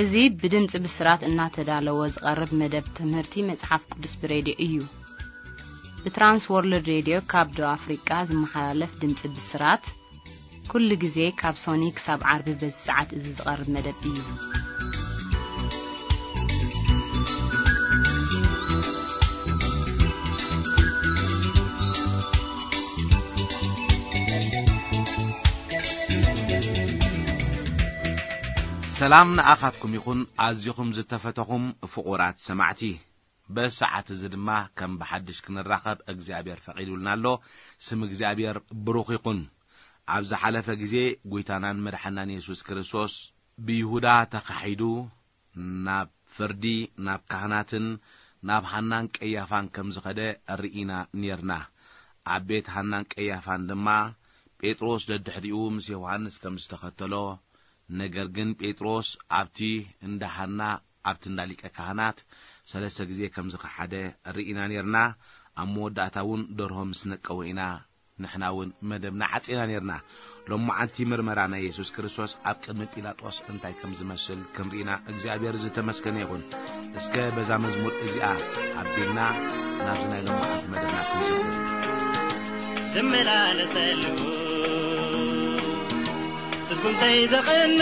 እዚ ብድምጺ ብስራት እናተዳለወ ዝቐርብ መደብ ትምህርቲ መጽሓፍ ቅዱስ ብሬድዮ እዩ። ብትራንስ ወርልድ ሬድዮ ካብ ደቡብ ኣፍሪቃ ዝመሓላለፍ ድምጺ ብስራት፣ ኩሉ ግዜ ካብ ሶኒ ክሳብ ዓርቢ በዚ ሰዓት እዚ ዝቐርብ መደብ እዩ። ሰላም ንኣኻትኩም ይኹን፣ ኣዚኹም ዝተፈተኹም ፍቑራት ሰማዕቲ። በዚ ሰዓት እዚ ድማ ከም ብሓድሽ ክንራኸብ እግዚኣብሔር ፈቒዱልና ኣሎ። ስም እግዚኣብሔር ብሩኽ ይኹን። ኣብ ዝሓለፈ ግዜ ጐይታናን መድሓናን የሱስ ክርስቶስ ብይሁዳ ተኻሒዱ ናብ ፍርዲ፣ ናብ ካህናትን ናብ ሃናን ቀያፋን ከም ዝኸደ ርኢና ኔርና። ኣብ ቤት ሃናን ቀያፋን ድማ ጴጥሮስ ደድሕሪኡ ምስ ዮሃንስ ከም ዝተኸተሎ፣ ነገር ግን ጴጥሮስ ኣብቲ እንዳ ሃና፣ ኣብቲ እንዳ ሊቀ ካህናት ሰለስተ ግዜ ከም ዝኸሓደ ርኢና ኔርና። ኣብ መወዳእታ እውን ደርሆ ምስ ነቀወ ኢና ንሕና እውን መደብና ዓጺና ኔርና። ሎማዓንቲ ምርመራ ናይ የሱስ ክርስቶስ ኣብ ቅድሚ ጲላጦስ እንታይ ከም ዝመስል ክንርኢና እግዚኣብሔር ዝተመስገነ ይኹን። እስከ በዛ መዝሙር እዚኣ ኣቢልና ናብዚ ናይ ሎማዓንቲ መደብና ክንሰግር። ዝመላለሰሉ ስጉምተይ ዘቕንዕ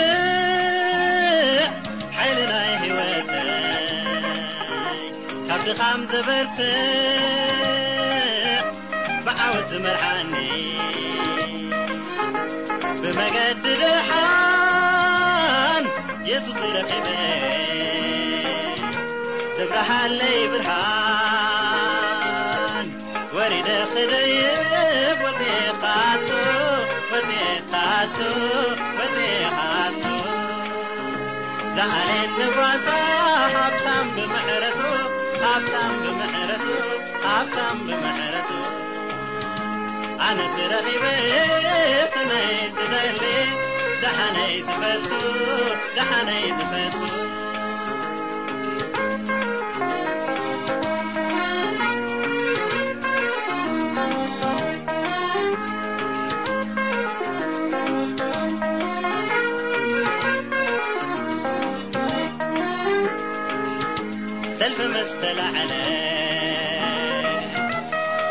ሓይሊ ናይ ህይወተይ ካብ ድኻም ዘበርትዕ ብዓወት ዝመርሓኒ ብመገዲ ደሓን የሱስ ረኺበ ዘብርሃለይ ብርሃን ወሪደ ክደይብ ወፂኻቱ ወፂኻቱ ወፂኻቱ ዝዓሌት ንጓሳ ሃብታም ብምሕረቱ ሃብታም ብምሕረቱ ሃብታም ብምሕረቱ ኣነስ ረኺበ ሰናይ ዝደሊ ደሓነይ ዝፈቱ ደሓነይ ዝፈቱ ሰልፊ ምስ ተላዕለ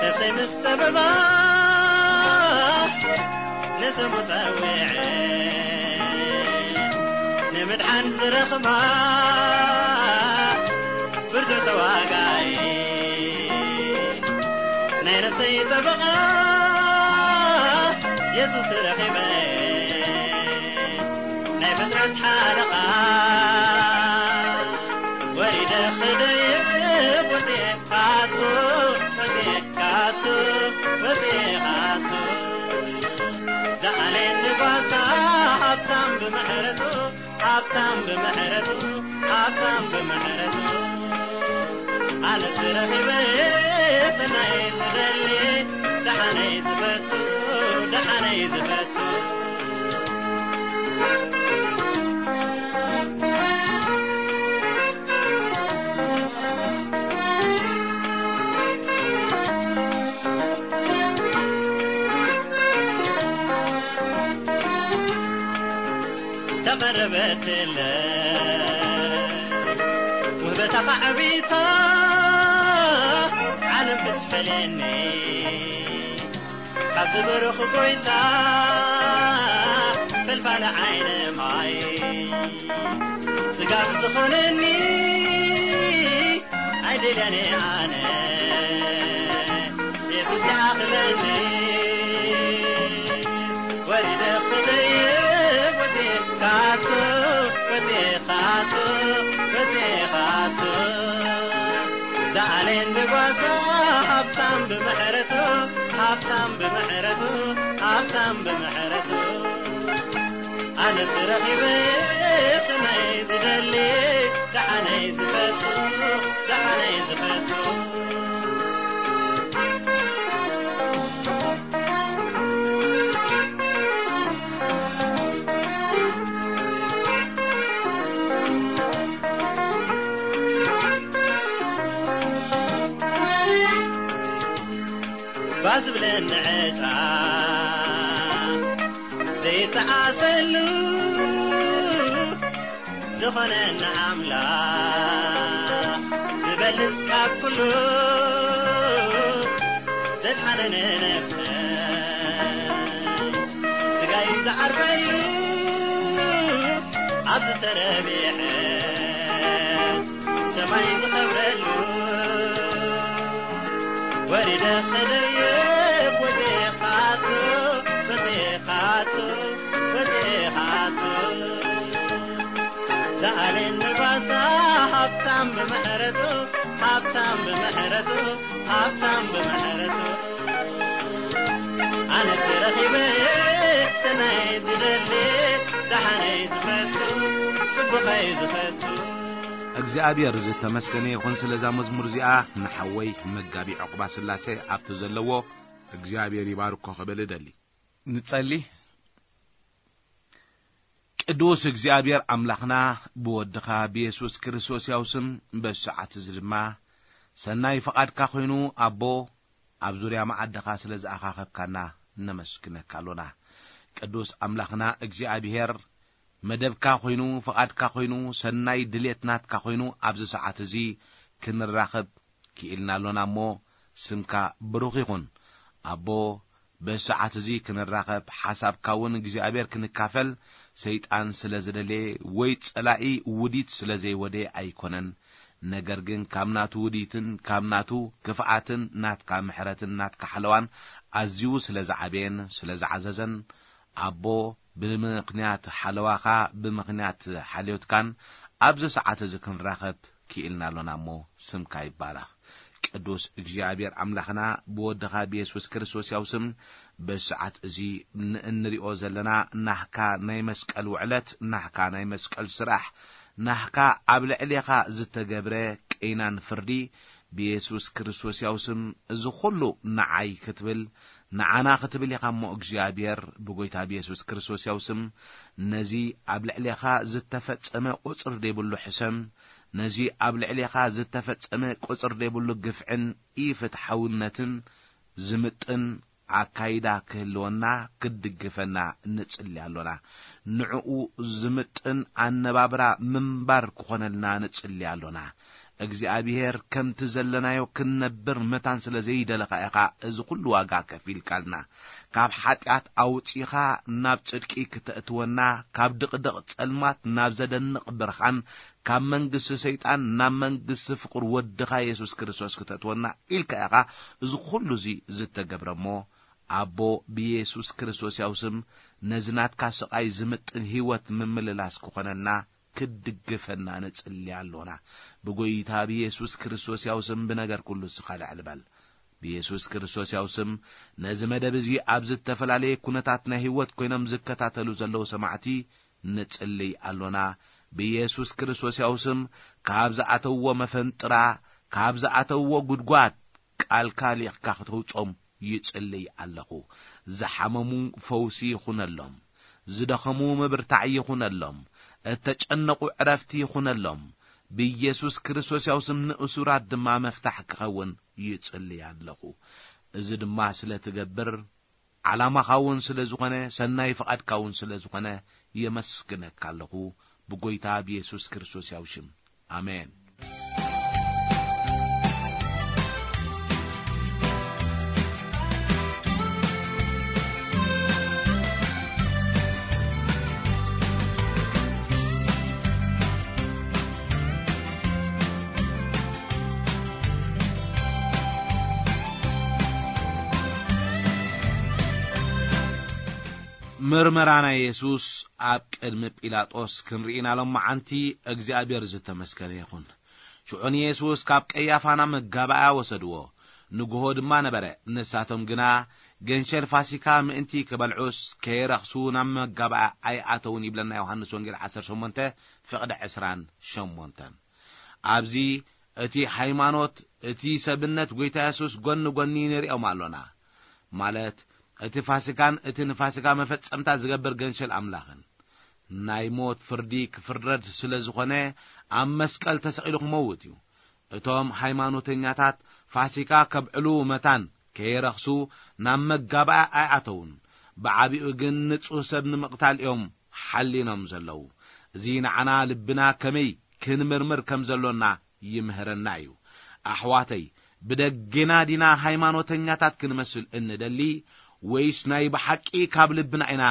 ነፍሰይ ምስ ጠበባ ንስሙ ጸዊዐ ንምድሓን ዝረኽባ ብርቱ ተዋጋኢ ናይ ነፍሰይ ጠበቓ የሱስ ረኺበ ናይ ፍጥረት ሓለቓ ወሪደ ክደይብ ወፂኤ ካቱ ወፂኤ ካቱ ወፂኤ ካቱ ዝዓሌኒ ጓሳ ሃብታም ብምሕረቱ ሃብታም ብምሕረቱ ሃብታም ብምሕረቱ ኣነስ ረኺበ ሰናይ ዝደሊ ደሓነይ ዝፈቱ ደሓነይ ዝፈቱ ተቐረበትለ ውህበታ ኻዕቢታ ዓለም ክትፈልየኒ ካብ ዝብርኽ ጎይታ ፈልፋለ ዓይነ ማይ ስጋብ ዝኾነኒ ኣይደልያነ ኣነ የሱስ ይኣኽለኒ ወሪደ ክደይብ ወፂኤ ካቱ ወፂኤ ካቱ ወፂኤ ካቱ ዝኣሌን ብጓሳ ሃብታም ብምሕረቱ ሃብታም ብምሕረቱ ሃብታም ብምሕረቱ ኣነስ ረኺበ ሰናይ ዝደሊ ደሓነይ ዝፈቱ ደሓነይ ዝፈቱ ባዝብለኒ ዕጫ ዘይተዓሰሉ ዝኾነና ኣምላኽ ዝበልጽ ካብ ኩሉ ዘድሓነነ ነፍሰ ስጋይ ዝዓርፈሉ ኣብ ዝተረብሐስ ሰማይ ዝኸብረሉ ወሪደ ክደይብ ወዴኻቱ ወዴኻቱ ወዴኻቱ ዝኣልን ንባሳ ሃብታም ብምሕረቱ ሃብታም ብምሕረቱ ሃብታም ብምሕረቱ ኣነ ተረኺበ ሰናይ ዝደሊ ደሓነይ ዝፈቱ ጽቡቐይ ዝፈቱ እግዚኣብሔር ዝተመስገነ ይኹን ስለዛ መዝሙር እዚኣ ንሓወይ መጋቢ ዕቑባ ስላሴ ኣብቲ ዘለዎ እግዚኣብሔር ይባርኮ ክብል እደሊ። ንጸሊ። ቅዱስ እግዚኣብሔር ኣምላኽና ብወድኻ ብየሱስ ክርስቶስ ያው ስም በዚ ሰዓት እዚ ድማ ሰናይ ፍቓድካ ኮይኑ ኣቦ ኣብ ዙርያ መዓድኻ ስለ ዝኣኻኸብካና ነመስግነካ ኣሎና። ቅዱስ ኣምላኽና እግዚኣብሔር መደብካ ኮይኑ ፍቓድካ ኮይኑ ሰናይ ድሌት ናትካ ኮይኑ ኣብዚ ሰዓት እዚ ክንራኸብ ክኢልና ኣሎና እሞ ስምካ ብሩኽ ይኹን ኣቦ። በዚ ሰዓት እዚ ክንራኸብ ሓሳብካ እውን እግዚኣብሔር ክንካፈል ሰይጣን ስለ ዝደለየ ወይ ጸላኢ ውዲት ስለ ዘይወደየ ኣይኮነን። ነገር ግን ካብ ናቱ ውዲትን ካብ ናቱ ክፍኣትን ናትካ ምሕረትን ናትካ ሓለዋን ኣዝዩ ስለ ዝዓበየን ስለ ዝዓዘዘን ኣቦ ብምኽንያት ሓለዋኻ ብምኽንያት ሓልዮትካን ኣብዚ ሰዓት እዚ ክንራኸብ ክኢልና ኣሎና እሞ ስምካ ይባረኽ። ቅዱስ እግዚኣብሔር ኣምላኽና ብወድኻ ብየሱስ ክርስቶስ ያው ስም በዚ ሰዓት እዚ ንእንሪኦ ዘለና ናህካ ናይ መስቀል ውዕለት ናህካ ናይ መስቀል ስራሕ ናህካ ኣብ ልዕሌኻ ዝተገብረ ቀይናን ፍርዲ ብየሱስ ክርስቶስ ያው ስም እዚ ኩሉ ንዓይ ክትብል ንዓና ክትብል ኢኻ እሞ እግዚኣብሔር ብጎይታ ብየሱስ ክርስቶስ ያው ስም ነዚ ኣብ ልዕሌኻ ዝተፈጸመ ቁጽር ዘይብሉ ሕሰም ነዚ ኣብ ልዕሌኻ ዝተፈጸመ ቁጽር ዘይብሉ ግፍዕን ኢፍትሓውነትን ዝምጥን ኣካይዳ ክህልወና ክድግፈና ንጽሊ ኣሎና። ንዕኡ ዝምጥን ኣነባብራ ምንባር ክኾነልና ንጽሊ ኣሎና። እግዚኣብሔር ከምቲ ዘለናዮ ክንነብር መታን ስለ ዘይደለኻ ኢኻ እዚ ኩሉ ዋጋ ከፊልካልና። ካብ ሓጢኣት ኣውጺኻ ናብ ጽድቂ ክተእትወና፣ ካብ ድቕድቕ ጸልማት ናብ ዘደንቕ ብርሃን፣ ካብ መንግስቲ ሰይጣን ናብ መንግስቲ ፍቕር ወድኻ የሱስ ክርስቶስ ክተእትወና ኢልካ ኢኻ እዚ ኩሉ እዚ ዝተገብረ እሞ ኣቦ ብየሱስ ክርስቶስ ያው ስም ነዚ ናትካ ስቓይ ዝምጥን ህይወት ምምልላስ ክኾነልና ክትድግፈና ንጽሊ ኣሎና። ብጎይታ ብየሱስ ክርስቶስ ያው ስም ብነገር ኩሉ ስኻ ልዕል በል። ብየሱስ ክርስቶስ ያው ስም ነዚ መደብ እዚ ኣብ ዝተፈላለየ ኩነታት ናይ ህይወት ኮይኖም ዝከታተሉ ዘለዉ ሰማዕቲ ንጽልይ ኣሎና። ብየሱስ ክርስቶስ ያው ስም ካብ ዝኣተውዎ መፈንጥራ፣ ካብ ዝኣተውዎ ጉድጓድ ቃልካ ሊቕካ ክተውጾም ይጽልይ ኣለኹ። ዝሓመሙ ፈውሲ ይኹነሎም፣ ዝደኸሙ ምብርታዕ ይኹነሎም፣ እተጨነቑ ዕረፍቲ ይኹነሎም። ብየሱስ ክርስቶስ ያው ስም ንእሱራት ድማ መፍታሕ ክኸውን ይጽልይ ኣለኹ። እዚ ድማ ስለ ትገብር ዓላማኻ እውን ስለ ዝኾነ ሰናይ ፍቓድካ እውን ስለ ዝኾነ የመስግነካ ኣለኹ ብጎይታ ብየሱስ ክርስቶስ ያው ሽም ኣሜን። ምርመራ ናይ የሱስ ኣብ ቅድሚ ጲላጦስ ክንርኢ ኢና ሎመዓንቲ እግዚኣብሔር ዝተመስገነ ይኹን። ሽዑ ንየሱስ ካብ ቀያፋ ናብ መጋባእያ ወሰድዎ። ንግሆ ድማ ነበረ። ንሳቶም ግና ገንሸል ፋሲካ ምእንቲ ክበልዑስ ከየረኽሱ ናብ መጋባእያ ኣይኣተውን ይብለና ዮሃንስ ወንጌል ዓሰርተ ሸሞንተ ፍቕዲ ዕስራን ሸሞንተን። ኣብዚ እቲ ሃይማኖት እቲ ሰብነት ጎይታ የሱስ ጎኒ ጎኒ ንሪኦም ኣሎና። ማለት እቲ ፋሲካን እቲ ንፋሲካ መፈጸምታ ዝገብር ገንሸል ኣምላኽን። ናይ ሞት ፍርዲ ክፍረድ ስለ ዝኾነ ኣብ መስቀል ተሰቒሉ ክመውት እዩ። እቶም ሃይማኖተኛታት ፋሲካ ከብዕሉ መታን ከየረኽሱ ናብ መጋባእያ ኣይኣተውን። ብዓቢኡ ግን ንጹህ ሰብ ንምቕታል እዮም ሓሊኖም ዘለዉ። እዚ ንዓና ልብና ከመይ ክንምርምር ከም ዘሎና ይምህረና እዩ። ኣሕዋተይ፣ ብደጌና ዲና ሃይማኖተኛታት ክንመስል እንደሊ፣ ወይስ ናይ ብሓቂ ካብ ልብና ኢና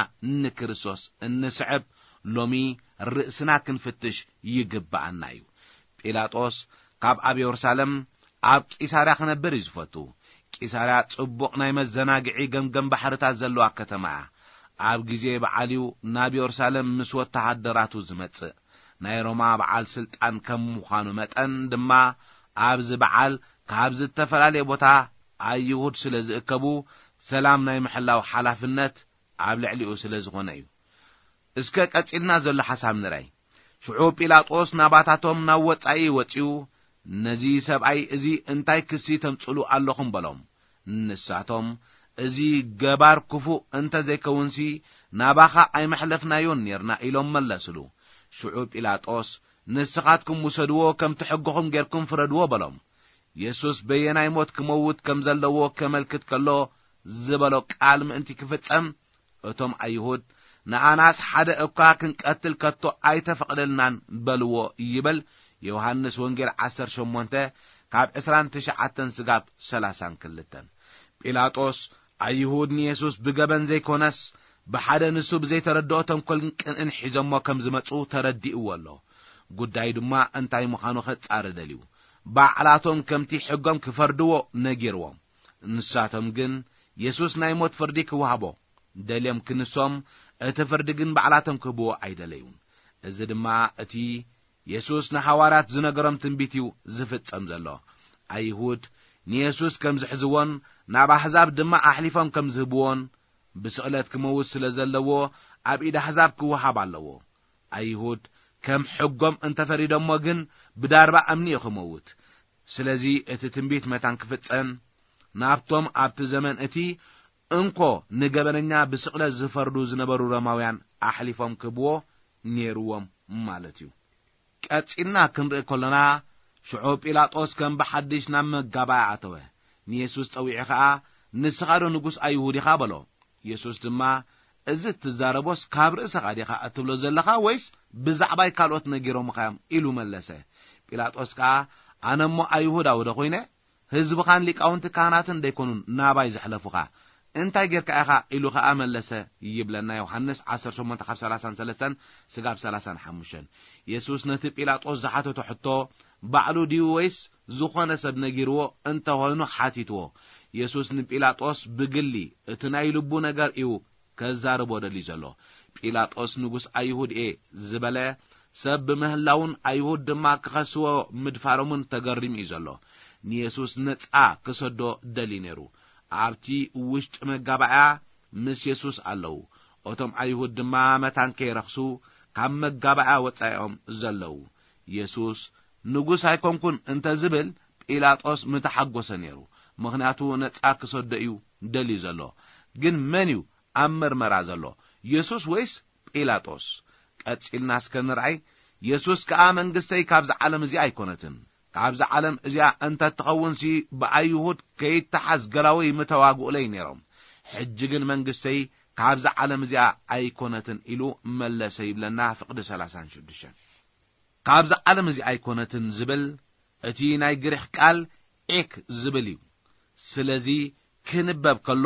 ንክርስቶስ እንስዕብ? ሎሚ ርእስና ክንፍትሽ ይግብኣና እዩ። ጲላጦስ ካብ ኣብ የሩሳሌም ኣብ ቂሳርያ ክነብር እዩ ዝፈቱ። ቂሳርያ ጽቡቕ ናይ መዘናግዒ ገምገም ባሕርታት ዘለዋ ከተማ እያ። ኣብ ግዜ በዓል እዩ ናብ የሩሳሌም ምስ ወተሃደራቱ ዝመጽእ። ናይ ሮማ በዓል ስልጣን ከም ምዃኑ መጠን ድማ፣ ኣብዚ በዓል ካብ ዝተፈላለየ ቦታ ኣይሁድ ስለ ዝእከቡ፣ ሰላም ናይ ምሕላው ሓላፍነት ኣብ ልዕሊኡ ስለ ዝኾነ እዩ። እስከ ቀጺልና ዘሎ ሓሳብ ንርኣይ። ሽዑ ጲላጦስ ናባታቶም ናብ ወጻኢ ወጺኡ፣ "ነዚ ሰብኣይ እዚ እንታይ ክሲ ተምጽሉ ኣለኹም?" በሎም። ንሳቶም፣ "እዚ ገባር ክፉእ እንተ ዘይከውንሲ፣ ናባኻ ኣይመሕለፍናዮን ኔርና" ኢሎም መለስሉ። ሽዑ ጲላጦስ፣ "ንስኻትኩም ውሰድዎ፣ ከምቲ ሕግኹም ጌርኩም ፍረድዎ" በሎም። የሱስ በየናይ ሞት ክመውት ከም ዘለዎ ከመልክት ከሎ ዝበሎ ቃል ምእንቲ ክፍጸም፣ እቶም ኣይሁድ፣ "ንኣናስ ሓደ እኳ ክንቀትል ከቶ ኣይተፈቕደልናን" በልዎ ይብል ዮሃንስ ወንጌል ዓሰርተ ሸሞንተ ካብ ዕስራን ትሽዓተን ስጋብ ሰላሳን ክልተን። ጲላጦስ፣ ኣይሁድ ንየሱስ ብገበን ዘይኮነስ፣ ብሓደ ንሱ ብዘይተረድኦ ተንኮልን ቅንእን ሒዞሞ ከም ዝመጹ ተረዲእዎ ኣሎ። ጉዳይ ድማ እንታይ ምዃኑ ከጻሪ ደልዩ። ባዕላቶም ከምቲ ሕጎም ክፈርድዎ ነጊርዎም። ንሳቶም ግን የሱስ ናይ ሞት ፍርዲ ክወሃቦ ደልዮም ክንሶም፣ እቲ ፍርዲ ግን ባዕላቶም ክህብዎ ኣይደለዩን። እዚ ድማ እቲ የሱስ ንሃዋርያት ዝነገሮም ትንቢት እዩ ዝፍጸም ዘሎ። ኣይሁድ ንየሱስ ከም ዝሕዝዎን ናብ ኣህዛብ ድማ ኣሕሊፎም ከም ዝህብዎን፣ ብስቕለት ክመውት ስለ ዘለዎ ኣብ ኢድ ኣህዛብ ክወሃብ ኣለዎ። ኣይሁድ ከም ሕጎም እንተፈሪዶሞ ግን ብዳርባ እምኒ እዩ ክመውት። ስለዚ እቲ ትንቢት መታን ክፍጸም፣ ናብቶም ኣብቲ ዘመን እቲ እንኮ ንገበነኛ ብስቕለት ዝፈርዱ ዝነበሩ ሮማውያን ኣሕሊፎም ክህብዎ ነይርዎም ማለት እዩ። ቀጺልና ክንርኢ ከሎና፣ ሽዑ ጲላጦስ ከም ብሓድሽ ናብ መጋባእያ ኣተወ። ንየሱስ ጸዊዑ ኸኣ፣ "ንስኻ ዶ ንጉስ ኣይሁድ ኢኻ?" በሎ። የሱስ ድማ፣ "እዚ እትዛረቦስ ካብ ርእስኻ ዲኻ እትብሎ ዘለኻ፣ ወይስ ብዛዕባይ ካልኦት ነጊሮምኻ እዮም?" ኢሉ መለሰ። ጲላጦስ ከኣ፣ "ኣነ እሞ ኣይሁዳዊ ዶ ኾይነ? ህዝብኻን ሊቃውንቲ ካህናትን ደይኮኑን ናባይ ዘሕለፉኻ? እንታይ ጌርካ ኢኻ?" ኢሉ ኸኣ መለሰ ይብለና ዮሃንስ ዓሰርተ ሸሞንተ ካብ ሰላሳን ሰለስተን ስጋብ ሰላሳን ሓሙሽተን። የሱስ ነቲ ጲላጦስ ዝሓተቶ ሕቶ፣ ባዕሉ ድዩ ወይስ ዝኾነ ሰብ ነጊርዎ እንተኾይኑ ሓቲትዎ። የሱስ ንጲላጦስ ብግሊ እቲ ናይ ልቡ ነገር እዩ ከዛርቦ ደልዩ ዘሎ። ጲላጦስ ንጉስ ኣይሁድ እየ ዝበለ ሰብ ብምህላውን ኣይሁድ ድማ ክኸስዎ ምድፋሮምን ተገሪሙ እዩ ዘሎ። ንየሱስ ነጻ ክሰዶ ደልዩ ነይሩ። ኣብቲ ውሽጢ መጋባእያ ምስ የሱስ ኣለዉ። እቶም ኣይሁድ ድማ መታን ከይረኽሱ ካብ መጋባእያ ወጻኢኦም ዘለዉ። የሱስ ንጉስ ኣይኮንኩን እንተ ዝብል ጲላጦስ ምተሓጎሰ ነይሩ። ምኽንያቱ ነጻ ክሰዶ እዩ ደልዩ ዘሎ። ግን መን እዩ ኣብ መርመራ ዘሎ? የሱስ ወይስ ጲላጦስ? ቀጺልና እስከ ንርኣይ። የሱስ ከኣ መንግስተይ ካብዚ ዓለም እዚ ኣይኮነትን። ካብዚ ዓለም እዚኣ እንተ ትኸውንሲ ብኣይሁድ ከይተሓዝ ገላወይ ምተዋግኡለይ ነይሮም። ሕጂ ግን መንግስተይ ካብዚ ዓለም እዚኣ ኣይኮነትን ኢሉ መለሰ ይብለና ፍቕዲ ሰላሳን ሽዱሽተን። ካብዚ ዓለም እዚ ኣይኮነትን ዝብል እቲ ናይ ግሪኽ ቃል ኤክ ዝብል እዩ። ስለዚ ክንበብ ከሎ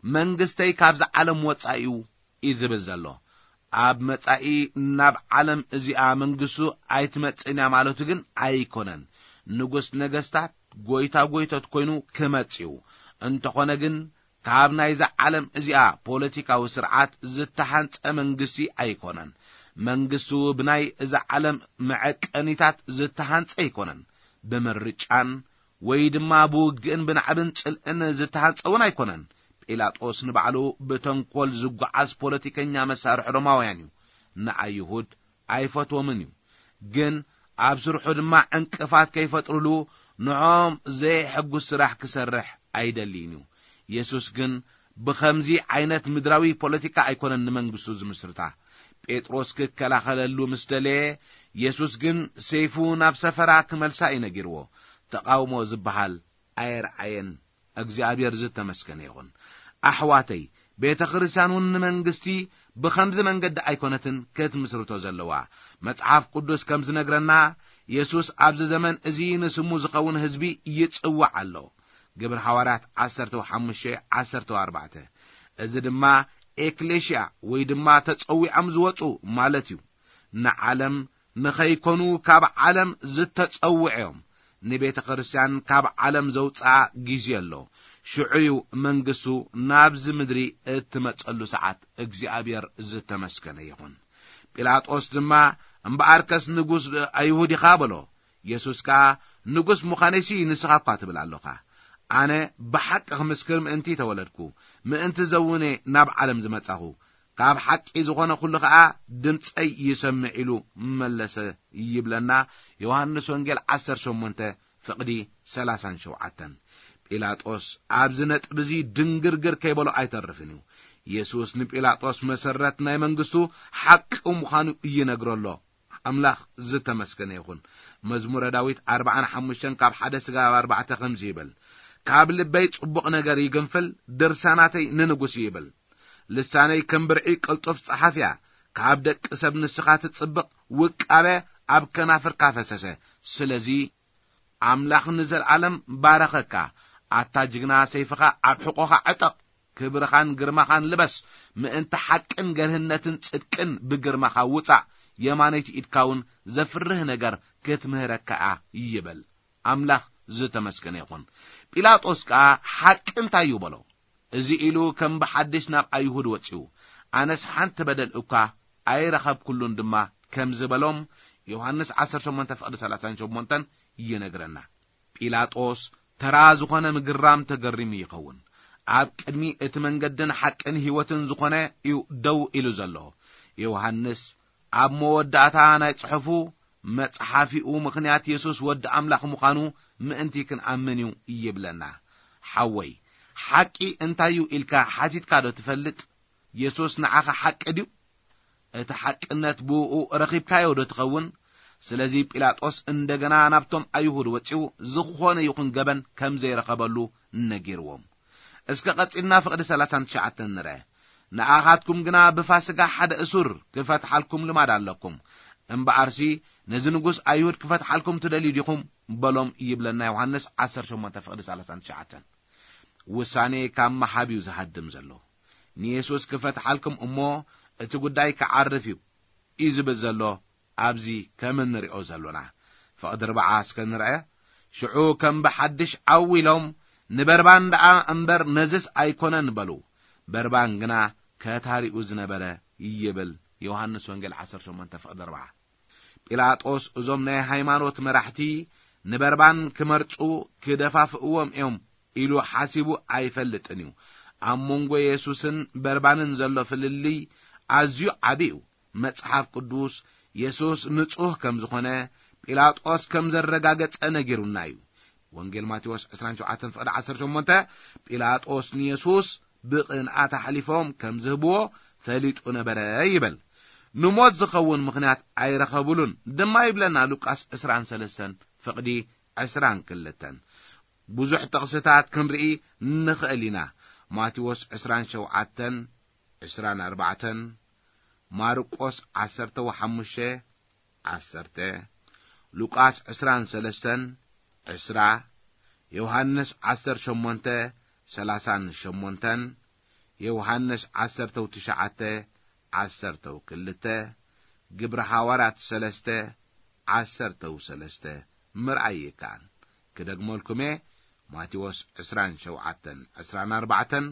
መንግስተይ ካብዚ ዓለም ወጻኢ እዩ እዩ ዝብል ዘሎ። ኣብ መጻኢ ናብ ዓለም እዚኣ መንግስቱ ኣይትመጽእን እያ ማለቱ ግን ኣይኮነን። ንጉስ ነገስታት፣ ጎይታ ጎይቶት ኮይኑ ክመጽእ እዩ። እንተኾነ ግን ካብ ናይዛ ዓለም እዚኣ ፖለቲካዊ ስርዓት ዝተሃንጸ መንግስቲ ኣይኮነን። መንግስቱ ብናይ እዛ ዓለም መዐቀኒታት ዝተሃንጸ ኣይኮነን። ብምርጫን ወይ ድማ ብውግእን ብናዕብን ጽልእን ዝተሃንጸ እውን ኣይኮነን። ጲላጦስ ንባዕሉ ብተንኮል ዝጓዓዝ ፖለቲከኛ መሳርሒ ሮማውያን እዩ። ንኣይሁድ ኣይፈትዎምን እዩ። ግን ኣብ ስርሑ ድማ ዕንቅፋት ከይፈጥርሉ ንዖም ዘየሐጉስ ስራሕ ክሰርሕ ኣይደልይን እዩ። የሱስ ግን ብኸምዚ ዓይነት ምድራዊ ፖለቲካ ኣይኮነን ንመንግስቱ ዝምስርታ። ጴጥሮስ ክከላኸለሉ ምስ ደለየ፣ የሱስ ግን ሰይፉ ናብ ሰፈራ ክመልሳ እዩ ነጊርዎ። ተቓውሞ ዝበሃል ኣየርኣየን። እግዚኣብሔር ዝተመስገነ ይኹን። ኣሕዋተይ፣ ቤተ ክርስቲያን እውን ንመንግስቲ ብኸምዚ መንገዲ ኣይኮነትን ክትምስርቶ ዘለዋ። መጽሓፍ ቅዱስ ከም ዝነግረና፣ የሱስ ኣብዚ ዘመን እዚ ንስሙ ዝኸውን ህዝቢ ይጽውዕ ኣሎ። ግብሪ ሃዋርያት ዓሰርተ ሓሙሽተ ዓሰርተ ኣርባዕተ። እዚ ድማ ኤክሌሽያ ወይ ድማ ተጸዊዖም ዝወጹ ማለት እዩ። ንዓለም ንኸይኮኑ ካብ ዓለም ዝተጸውዑ እዮም። ንቤተ ክርስቲያን ካብ ዓለም ዘውጽኣ ግዜ ኣሎ። ሽዑ እዩ መንግስቱ ናብዚ ምድሪ እትመጸሉ ሰዓት። እግዚኣብሔር ዝተመስገነ ይኹን። ጲላጦስ ድማ፣ "እምበኣርከስ ንጉስ ኣይሁድ ኢኻ?" በሎ። የሱስ ከኣ፣ "ንጉስ ምዃነይሲ ንስኻ እኳ ትብል ኣሎኻ። ኣነ ብሓቂ ክምስክር ምእንቲ ተወለድኩ፣ ምእንቲ ዘውነ ናብ ዓለም ዝመጻኹ፣ ካብ ሓቂ ዝኾነ ኩሉ ኸኣ ድምጸይ ይሰምዕ" ኢሉ መለሰ ይብለና ዮሃንስ ወንጌል ዓሰርተ ሸሞንተ ፍቕዲ ሰላሳን ሸውዓተን። ጲላጦስ ኣብዚ ነጥቢ እዚ ድንግርግር ከይበሎ ኣይተርፍን እዩ። የሱስ ንጲላጦስ መሰረት ናይ መንግስቱ ሓቂ ምዃኑ ይነግሮ ኣሎ። ኣምላኽ ዝተመስገነ ይኹን። መዝሙረ ዳዊት ኣርባዓን ሓሙሽተን ካብ ሓደ ስጋብ ኣርባዕተ ከምዚ ይብል፣ "ካብ ልበይ ጽቡቕ ነገር ይግንፍል፣ ድርሳናተይ ንንጉስ ይብል። ልሳነይ ከም ብርዒ ቅልጡፍ ጸሓፍ እያ፣ ካብ ደቂ ሰብ ንስኻ ትጽብቕ፣ ውቃበ ኣብ ከናፍርካ ፈሰሰ። ስለዚ ኣምላኽ ንዘለኣለም ባረኸካ። ኣታ ጅግና ሰይፍኻ ኣብ ሕቖኻ ዕጠቕ፣ ክብርኻን ግርማኻን ልበስ፣ ምእንቲ ሓቅን ገርህነትን ጽድቅን ብግርማኻ ውጻእ፣ የማነይቲ ኢድካ እውን ዘፍርህ ነገር ክትምህረካ እያ" ይበል። ኣምላኽ ዝተመስገነ ይኹን። ጲላጦስ ከኣ፣ "ሓቂ እንታይ እዩ?" በሎ። እዚ ኢሉ ከም ብሓድሽ ናብ ኣይሁድ ወጺኡ፣ "ኣነስ ሓንቲ በደል እኳ ኣይረኸብኩሉን" ድማ ከም ዝበሎም ዮሃንስ ዓሰርተ ሸሞንተ ፍቕዲ ሰላሳን ሸሞንተን ይነግረና። ጲላጦስ ተራ ዝኾነ ምግራም ተገሪሙ ይኸውን። ኣብ ቅድሚ እቲ መንገድን ሓቅን ህይወትን ዝኾነ እዩ ደው ኢሉ ዘሎ። ዮሃንስ ኣብ መወዳእታ ናይ ጽሑፉ፣ መጽሓፊኡ ምኽንያት የሱስ ወዲ ኣምላኽ ምዃኑ ምእንቲ ክንኣምን እዩ ይብለና። ሓወይ፣ ሓቂ እንታይ እዩ ኢልካ ሓቲትካ ዶ ትፈልጥ? የሱስ ንዓኻ ሓቂ ድዩ? እቲ ሓቅነት ብእኡ ረኺብካዮ ዶ ትኸውን? ስለዚ ጲላጦስ እንደገና ናብቶም ኣይሁድ ወጺኡ፣ ዝኾነ ይኹን ገበን ከም ዘይረኸበሉ ነጊርዎም። እስከ ቀጺልና ፍቕዲ ሰላሳን ትሽዓተን ንርአ። "ንኣኻትኩም ግና ብፋስጋ ሓደ እሱር ክፈትሓልኩም ልማድ ኣለኩም። እምበኣርሲ ነዚ ንጉስ ኣይሁድ ክፈትሓልኩም ትደልዩ ዲኹም?" በሎም ይብለና ዮሃንስ ዓሰርተ ሸሞንተ ፍቕዲ ሰላሳን ትሽዓተን። ውሳኔ ካብ ምሃብ እዩ ዝሃድም ዘሎ። ንየሱስ ክፈትሓልኩም እሞ እቲ ጉዳይ ክዓርፍ እዩ እዩ ዝብል ዘሎ ኣብዚ ከም እንሪኦ ዘሎና። ፍቕዲ ኣርብዓ እስከ ንርአ። ሽዑ ከም ብሓድሽ ዓው ኢሎም፣ "ንበርባን ደኣ እምበር ነዝስ ኣይኮነን" በሉ። በርባን ግና ከታሪኡ ዝነበረ ይብል ዮሃንስ ወንጌል ዓሰርተ ሸሞንተ ፍቕዲ ኣርብዓ። ጲላጦስ እዞም ናይ ሃይማኖት መራሕቲ ንበርባን ክመርጹ ክደፋፍእዎም እዮም ኢሉ ሓሲቡ ኣይፈልጥን እዩ። ኣብ መንጎ የሱስን በርባንን ዘሎ ፍልልይ ኣዝዩ ዓቢ እዩ። መጽሓፍ ቅዱስ የሱስ ንጹህ ከም ዝኾነ ጲላጦስ ከም ዘረጋገጸ ነጊሩና እዩ። ወንጌል ማቴዎስ ዕስራን ሸውዓተን ፍቕዲ ዓሰርተ ሸሞንተ፣ ጲላጦስ ንየሱስ ብቕንኣት ኣሕሊፎም ከም ዝህብዎ ፈሊጡ ነበረ ይብል። ንሞት ዝኸውን ምኽንያት ኣይረኸብሉን ድማ ይብለና ሉቃስ ዕስራን ሰለስተን ፍቕዲ ዕስራን ክልተን። ብዙሕ ጥቕስታት ክንርኢ ንኽእል ኢና። ማቴዎስ ዕስራን ሸውዓተን፣ ዕስራን ኣርባዕተን፣ ማርቆስ ዓሰርተ ሓሙሽተ፣ ዓሰርተ፣ ሉቃስ ዕስራን ሰለስተን፣ ዕስራ፣ ዮሃንስ ዓሰርተ ሸሞንተ፣ ሰላሳን ሸሞንተን፣ ዮሃንስ ዓሰርተው ትሽዓተ፣ ዓሰርተው ክልተ፣ ግብሪ ሃዋርያት ሰለስተ፣ ዓሰርተው ሰለስተ ምርኣይ ይከኣል። ክደግመልኩም እየ፣ ማቴዎስ ዕስራን ሸውዓተን፣ ዕስራን ኣርባዕተን፣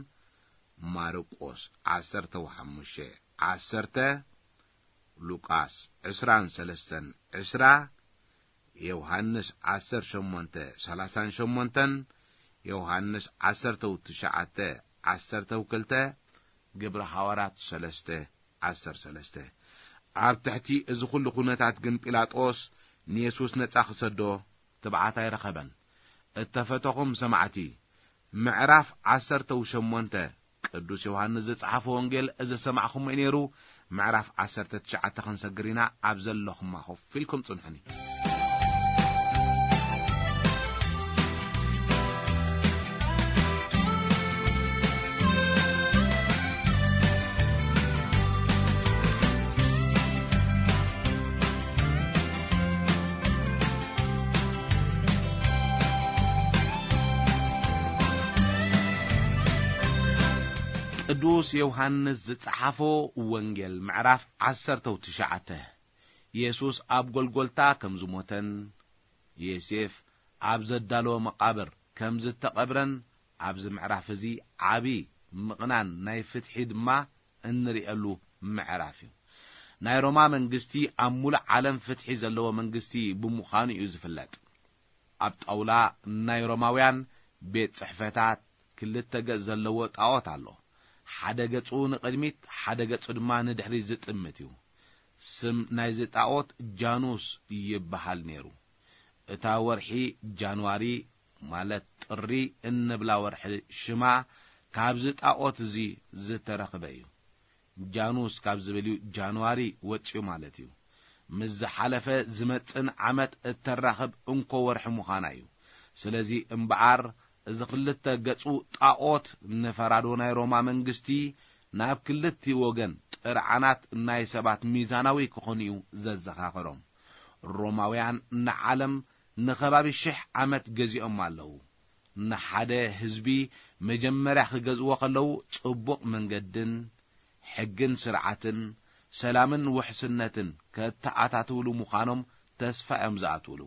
ማርቆስ ዓሰርተው ሓሙሽተ፣ ዓሰርተ፣ ሉቃስ ዕስራን ሰለስተን፣ ዕስራ፣ ዮሃንስ ዓሰርተ ሸሞንተ፣ ሰላሳን ሸሞንተን፣ ዮሃንስ ዓሰርተው ትሽዓተ፣ ዓሰርተው ክልተ፣ ግብሪ ሃዋርያት ሰለስተ፣ ዓሰርተ ሰለስተ። ኣብ ትሕቲ እዚ ኩሉ ኩነታት ግን ጲላጦስ ንየሱስ ነጻ ክሰዶ ትብዓት ኣይረኸበን። እተፈተኹም ሰማዕቲ፣ ምዕራፍ ዓሰርተው ሸሞንተ ቅዱስ ዮሃንስ ዝጸሓፎ ወንጌል እዚ ሰማዕኹሞ እዩ ነይሩ። ምዕራፍ ዓሰርተ ትሽዓተ ክንሰግር ኢና። ኣብ ዘለኹማ ኮፍ ኢልኩም ጽንሑኒ። ቅዱስ ዮሃንስ ዝጸሓፎ ወንጌል ምዕራፍ ዓሰርተው ትሽዓተ። የሱስ ኣብ ጎልጎልታ ከም ዝሞተን ዮሴፍ ኣብ ዘዳለዎ መቓብር ከም ዝተቐብረን ኣብዚ ምዕራፍ እዚ ዓቢ ምቕናን ናይ ፍትሒ ድማ እንርእየሉ ምዕራፍ እዩ። ናይ ሮማ መንግስቲ ኣብ ሙሉእ ዓለም ፍትሒ ዘለዎ መንግስቲ ብምዃኑ እዩ ዝፍለጥ። ኣብ ጣውላ ናይ ሮማውያን ቤት ጽሕፈታት ክልተ ገጽ ዘለዎ ጣዖት ኣሎ። ሓደ ገጹ ንቕድሚት፣ ሓደ ገጹ ድማ ንድሕሪት ዝጥምት እዩ። ስም ናይዚ ጣዖት ጃኑስ ይበሃል ነይሩ። እታ ወርሒ ጃንዋሪ፣ ማለት ጥሪ እንብላ ወርሒ፣ ሽማ ካብዚ ጣዖት እዚ ዝተረኽበ እዩ። ጃኑስ ካብ ዝብል እዩ ጃንዋሪ ወጺኡ ማለት እዩ። ምስ ዝሓለፈ ዝመጽእን ዓመት እተራኽብ እንኮ ወርሒ ምዃና እዩ። ስለዚ እምበኣር፣ እዚ ክልተ ገጹ ጣዖት ንፈራዶ ናይ ሮማ መንግስቲ ናብ ክልቲኡ ወገን ጥርዓናት ናይ ሰባት ሚዛናዊ ክኾኑ እዩ ዘዘኻኸሮም። ሮማውያን ንዓለም ንኸባቢ ሽሕ ዓመት ገዚኦም ኣለዉ። ንሓደ ህዝቢ መጀመርያ ክገዝእዎ ከለዉ፣ ጽቡቕ መንገድን ሕግን ስርዓትን ሰላምን ውሕስነትን ከተኣታትውሉ ምዃኖም ተስፋ እዮም ዝኣትውሉ።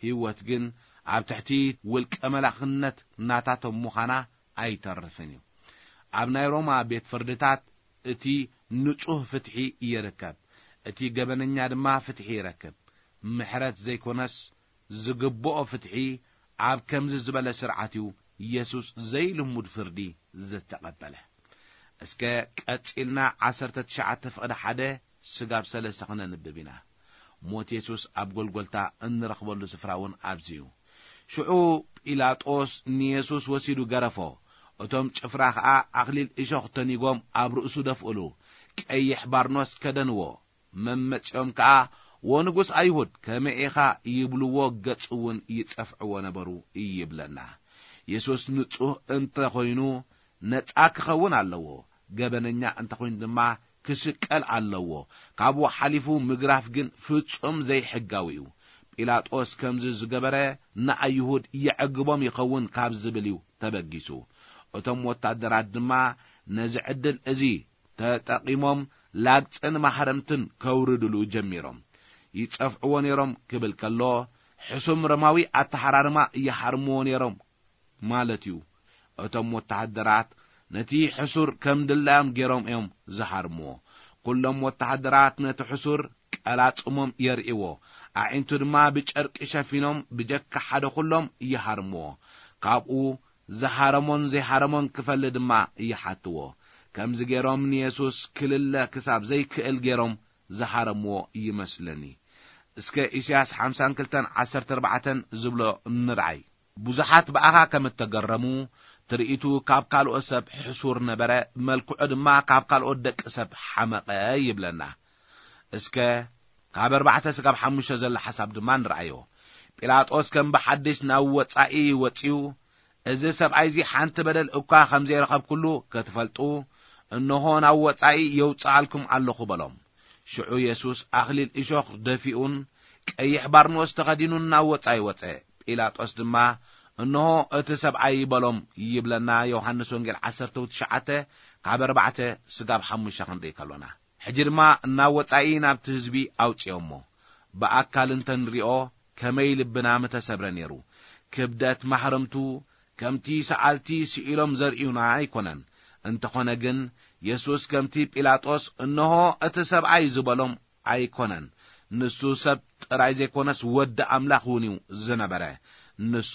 ህይወት ግን ኣብ ትሕቲ ውልቀ መላኽነት ናታቶም ምዃና ኣይተርፍን እዩ። ኣብ ናይ ሮማ ቤት ፍርድታት እቲ ንጹህ ፍትሒ ይርከብ፣ እቲ ገበነኛ ድማ ፍትሒ ይረክብ። ምሕረት ዘይኮነስ ዝግብኦ ፍትሒ ኣብ ከምዚ ዝበለ ስርዓት እዩ የሱስ ዘይልሙድ ፍርዲ ዝተቐበለ። እስከ ቀጺልና ዓሰርተ ትሽዓተ ፍቕዲ ሓደ ስጋብ ሰለስተ ክነንብብ ኢና። ሞት የሱስ ኣብ ጎልጎልታ እንረኽበሉ ስፍራ እውን ኣብዚ እዩ። ሽዑ ጲላጦስ ንየሱስ ወሲዱ ገረፎ። እቶም ጭፍራ ኸኣ ኣኽሊል እሾኽ ተኒጎም ኣብ ርእሱ ደፍእሉ፣ ቀይሕ ባርኖስ ከደንዎ። መመጺኦም ከኣ፣ "ወንጉስ ኣይሁድ፣ ከመይ ኢኻ?" ይብልዎ፣ ገጹ እውን ይጸፍዕዎ ነበሩ ይብለና። የሱስ ንጹህ እንተ ኾይኑ ነጻ ክኸውን ኣለዎ። ገበነኛ እንተ ኾይኑ ድማ ክስቀል ኣለዎ። ካብኡ ሓሊፉ ምግራፍ ግን ፍጹም ዘይሕጋዊ እዩ። ጲላጦስ ከምዚ ዝገበረ ንኣይሁድ የዕግቦም ይኸውን ካብ ዝብል እዩ ተበጊሱ። እቶም ወታደራት ድማ ነዚ ዕድል እዚ ተጠቒሞም ላግጽን ማህረምትን ከውርድሉ ጀሚሮም። ይጸፍዕዎ ነይሮም ክብል ከሎ፣ ሕሱም ሮማዊ ኣተሓራርማ ይሃርምዎ ነይሮም ማለት እዩ። እቶም ወተሃደራት ነቲ ሕሱር ከም ድላዮም ገይሮም እዮም ዝሃርምዎ። ኩሎም ወተሃደራት ነቲ ሕሱር ቀላጽሞም የርእይዎ፣ ኣዒንቱ ድማ ብጨርቂ ሸፊኖም ብጀካ ሓደ ኩሎም ይሃርምዎ። ካብኡ ዝሃረሞን ዘይሃረሞን ክፈሊ ድማ ይሓትዎ። ከምዚ ገይሮም ንየሱስ ክልለ ክሳብ ዘይክእል ገይሮም ዝሃረምዎ ይመስለኒ። እስከ ኢሳያስ ሓምሳን ክልተን ዓሰርተ ኣርባዕተን ዝብሎ ንርኣይ። ብዙሓት ብኣኻ ከም እተገረሙ፣ ትርኢቱ ካብ ካልኦት ሰብ ሕሱር ነበረ፣ መልክዑ ድማ ካብ ካልኦት ደቂ ሰብ ሓመቐ ይብለና። እስከ ካብ ኣርባዕተ ስጋብ ሓሙሽተ ዘሎ ሓሳብ ድማ ንርኣዮ። ጲላጦስ ከም ብሓድሽ ናብ ወጻኢ ወጺኡ፣ "እዚ ሰብኣይ እዚ ሓንቲ በደል እኳ ከም ዘይረኸብኩሉ ክትፈልጡ፣ እንሆ ናብ ወጻኢ የውጽኣልኩም ኣለኹ" በሎም። ሽዑ የሱስ ኣኽሊል እሾኽ ደፊኡን ቀይሕ ባርኖስ ተኸዲኑን ናብ ወጻኢ ወጸ። ጲላጦስ ድማ፣ "እንሆ እቲ ሰብኣይ" በሎም ይብለና ዮሃንስ ወንጌል ዓሰርተ ትሽዓተ ካብ ኣርባዕተ ስጋብ ሓሙሽተ ክንርኢ ከሎና። ሕጂ ድማ ናብ ወጻኢ ናብቲ ህዝቢ ኣውጽኦሞ። ብኣካል እንተንሪኦ ከመይ ልብና ምተሰብረ ነይሩ። ክብደት ማህረምቱ ከምቲ ሰኣልቲ ስኢሎም ዘርእዩና ኣይኮነን። እንተኾነ ግን የሱስ ከምቲ ጲላጦስ "እንሆ እቲ ሰብኣይ" ዝበሎም ኣይኮነን። ንሱ ሰብ ጥራይ ዘይኮነስ ወዲ ኣምላኽ እውን እዩ ዝነበረ። ንሱ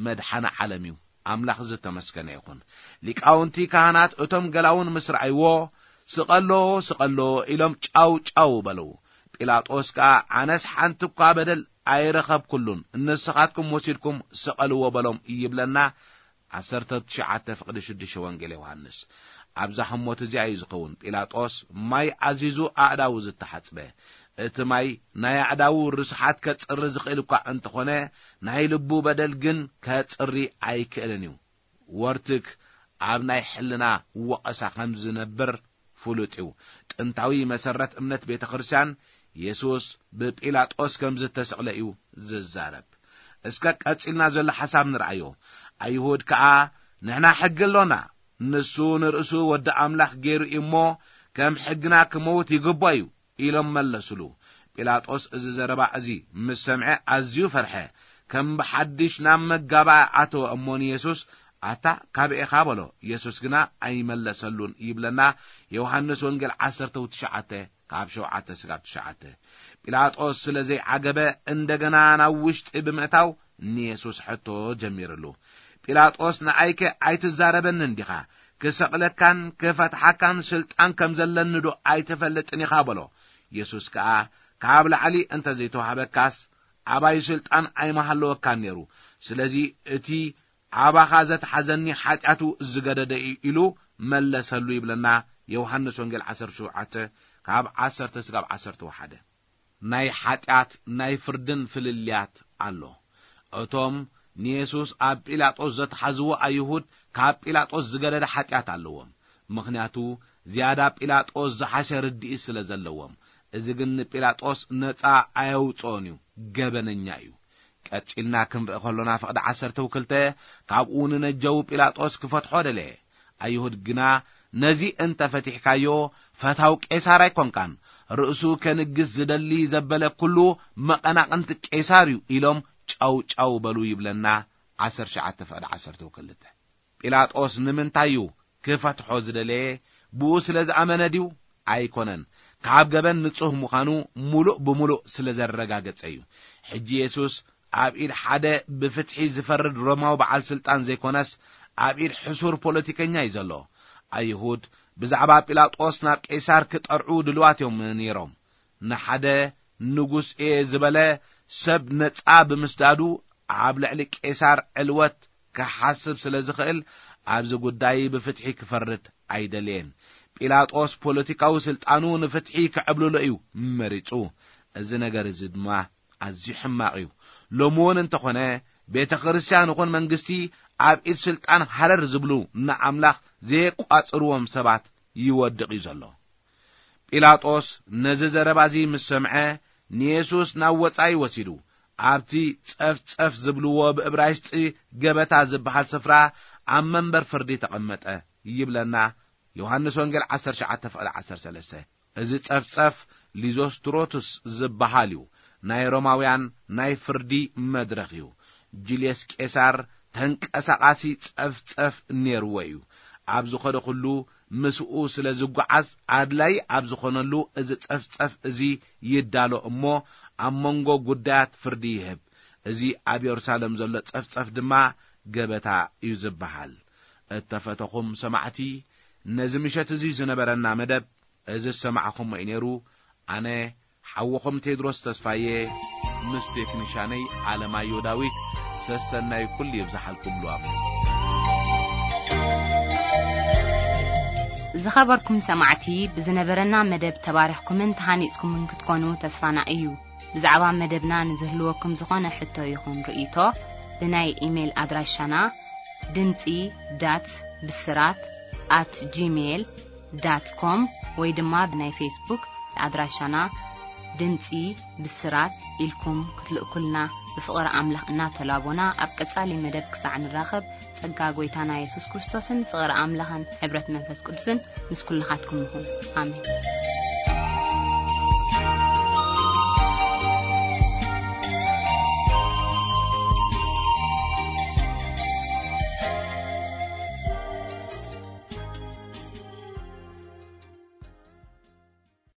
መድሓኒ ዓለም እዩ። ኣምላኽ ዝተመስገነ ይኹን። ሊቃውንቲ ካህናት እቶም ገላውን ምስ ረኣይዎ፣ "ስቐሎ፣ ስቐሎ" ኢሎም ጫው ጫው በሉ። ጲላጦስ ከኣ፣ "ኣነስ ሓንቲ እኳ በደል ኣይረኸብኩሉን፣ ንስኻትኩም ወሲድኩም ስቐልዎ" በሎም ይብለና። ዓሰርተ ትሽዓተ ፍቕዲ ሽዱሽተ ወንጌል ዮሃንስ። ኣብዛ ህሞት እዚኣ እዩ ዝኸውን ጲላጦስ ማይ ኣዚዙ ኣእዳዉ ዝተሓጽበ። እቲ ማይ ናይ ኣእዳዉ ርስሓት ከጽሪ ዝኽእል እኳ እንተኾነ፣ ናይ ልቡ በደል ግን ከጽሪ ኣይክእልን እዩ። ወርትግ ኣብ ናይ ሕልና ወቐሳ ከም ዝነብር ፍሉጥ እዩ። ጥንታዊ መሰረት እምነት ቤተ ክርስቲያን የሱስ ብጲላጦስ ከም ዝተሰቕለ እዩ ዝዛረብ። እስከ ቀጺልና ዘሎ ሓሳብ ንርኣዮ። ኣይሁድ ከኣ፣ "ንሕና ሕጊ ኣሎና፣ ንሱ ንርእሱ ወዲ ኣምላኽ ገይሩ እዩ እሞ፣ ከም ሕግና ክመውት ይግባእ እዩ ኢሎም መለሱሉ። ጲላጦስ እዚ ዘረባ እዚ ምስ ሰምዐ ኣዝዩ ፈርሐ። ከም ብሓድሽ ናብ መጋባእ ኣተወ እሞ ንየሱስ፣ "ኣታ ካበይ ኢኻ?" በሎ። የሱስ ግና ኣይመለሰሉን ይብለና ዮሃንስ ወንጌል ዓሰርተ ትሽዓተ ካብ ሸውዓተ ስጋብ ትሽዓተ። ጲላጦስ ስለ ዘይዓገበ እንደገና ናብ ውሽጢ ብምእታው ንየሱስ ሕቶ ጀሚርሉ። ጲላጦስ፣ "ንኣይከ ኣይትዛረበንን ዲኻ? ክሰቕለካን ክፈትሓካን ስልጣን ከም ዘለኒ ዶ ኣይትፈልጥን ኢኻ?" በሎ። የሱስ ከኣ፣ "ካብ ላዕሊ እንተ ዘይተዋህበካስ ኣባይ ስልጣን ኣይምሃለወካን ነይሩ። ስለዚ እቲ ኣባኻ ዘትሓዘኒ ሓጢኣቱ ዝገደደ እዩ" ኢሉ መለሰሉ ይብለና ዮሃንስ ወንጌል ዓሰርተ ሸውዓተ ካብ ዓሰርተ ስጋብ ዓሰርተ ሓደ። ናይ ሓጢኣት ናይ ፍርድን ፍልልያት ኣሎ። እቶም ንየሱስ ኣብ ጲላጦስ ዘትሓዝዎ ኣይሁድ ካብ ጲላጦስ ዝገደደ ሓጢኣት ኣለዎም። ምኽንያቱ ዝያዳ ጲላጦስ ዝሓሸ ርድኢት ስለ ዘለዎም። እዚ ግን ንጲላጦስ ነጻ ኣየውጽኦን እዩ፣ ገበነኛ እዩ። ቀጺልና ክንርኢ ከሎና ፍቕዲ ዓሰርተ ክልተ ካብኡ ንነጀዉ ጲላጦስ ክፈትሖ ደለየ። ኣይሁድ ግና ነዚ እንተ ፈቲሕካዮ ፈታው ቄሳር ኣይኮንካን፣ ርእሱ ከንግስ ዝደሊ ዘበለ ኩሉ መቐናቕንቲ ቄሳር እዩ ኢሎም ጫው ጫው በሉ ይብለና። ዓሰርተ ትሽዓተ ፍቕዲ ዓሰርተ ክልተ። ጲላጦስ ንምንታይ እዩ ክፈትሖ ዝደለየ? ብኡ ስለ ዝኣመነ ድዩ? ኣይኮነን። ካብ ገበን ንጹህ ምዃኑ ምሉእ ብምሉእ ስለ ዘረጋገጸ እዩ። ሕጂ የሱስ ኣብ ኢድ ሓደ ብፍትሒ ዝፈርድ ሮማዊ በዓል ስልጣን ዘይኮነስ፣ ኣብ ኢድ ሕሱር ፖለቲከኛ እዩ ዘሎ። ኣይሁድ ብዛዕባ ጲላጦስ ናብ ቄሳር ክጠርዑ ድልዋት እዮም ነይሮም። ንሓደ ንጉስ እየ ዝበለ ሰብ ነጻ ብምስዳዱ ኣብ ልዕሊ ቄሳር ዕልወት ክሓስብ ስለ ዝኽእል፣ ኣብዚ ጉዳይ ብፍትሒ ክፈርድ ኣይደልየን። ጲላጦስ ፖለቲካዊ ስልጣኑ ንፍትሒ ክዕብልሎ እዩ መሪጹ። እዚ ነገር እዚ ድማ ኣዝዩ ሕማቕ እዩ። ሎሚ እውን እንተኾነ፣ ቤተ ክርስቲያን ይኹን መንግስቲ ኣብ ኢድ ስልጣን ሃረር ዝብሉ ንኣምላኽ ዘየቋጽርዎም ሰባት ይወድቕ እዩ ዘሎ። ጲላጦስ ነዚ ዘረባ እዚ ምስ ሰምዐ፣ ንየሱስ ናብ ወጻኢ ወሲዱ፣ ኣብቲ ጸፍጸፍ ዝብልዎ ብእብራይስጢ ገበታ ዝበሃል ስፍራ ኣብ መንበር ፍርዲ ተቐመጠ ይብለና ዮሃንስ ወንጌል ዓሰርተ ትሽዓተ ፍቕዲ ዓሰርተ ሰለስተ። እዚ ጸፍጸፍ ሊዞስትሮቱስ ዝበሃል እዩ። ናይ ሮማውያን ናይ ፍርዲ መድረኽ እዩ። ጁልየስ ቄሳር ተንቀሳቓሲ ጸፍጸፍ ነይርዎ እዩ። ኣብ ዝኸደ ኩሉ ምስኡ ስለ ዝጓዓዝ፣ ኣድላይ ኣብ ዝኾነሉ፣ እዚ ጸፍጸፍ እዚ ይዳሎ እሞ፣ ኣብ መንጎ ጉዳያት ፍርዲ ይህብ። እዚ ኣብ የሩሳሌም ዘሎ ጸፍጸፍ ድማ ገበታ እዩ ዝበሃል። እተፈተኹም ሰማዕቲ፣ ነዚ ምሸት እዚ ዝነበረና መደብ እዚ ዝሰማዕኹሞ እዩ ነይሩ። ኣነ ሓውኹም ቴድሮስ ተስፋዬ ምስ ቴክኒሻነይ ኣለማዮ ዳዊት ሰሰናዩ ኩሉ ይብዝሓልኩም ሉዋም። ዝኸበርኩም ሰማዕቲ፣ ብዝነበረና መደብ ተባሪኽኩምን ተሃኒጽኩምን ክትኮኑ ተስፋና እዩ። ብዛዕባ መደብና ንዝህልወኩም ዝኾነ ሕቶ ይኹን ርእይቶ፣ ብናይ ኢሜይል ኣድራሻና ድምጺ ዳት ብስራት ኣት ጂሜይል ዳት ኮም ወይ ድማ ብናይ ፌስቡክ ኣድራሻና ድምጺ ብስራት ኢልኩም ክትልእኩልና ብፍቕሪ ኣምላኽ እናተላቦና፣ ኣብ ቀጻሊ መደብ ክሳዕ ንራኸብ፣ ጸጋ ጐይታና የሱስ ክርስቶስን ፍቕሪ ኣምላኽን ሕብረት መንፈስ ቅዱስን ምስ ኩልኻትኩም ይኹን። ኣሜን።